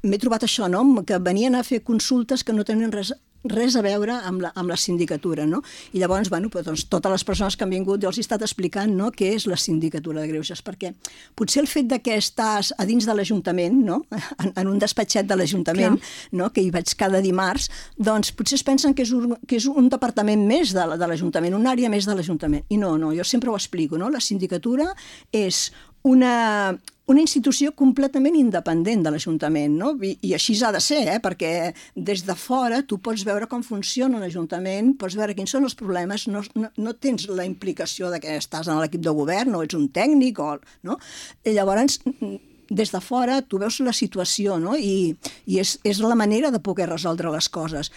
m'he trobat això, no? Que venien a fer consultes que no tenen res a veure amb la sindicatura, no? I llavors, doncs, totes les persones que han vingut jo els he estat explicant, no?, què és la sindicatura de greuges, perquè potser el fet que estàs a dins de l'Ajuntament, no?, en un despatxet de l'Ajuntament, no?, que hi vaig cada dimarts, doncs potser es pensen que és un departament més de l'Ajuntament, una àrea més de l'Ajuntament. I no, jo sempre ho explico, no? La sindicatura és una institució completament independent de l'Ajuntament, no? I així ha de ser, perquè des de fora tu pots veure com funciona l'Ajuntament, pots veure quins són els problemes, no tens la implicació de que estàs en l'equip de govern o ets un tècnic, no? I llavors, des de fora tu veus la situació, no? I és la manera de poder resoldre les coses.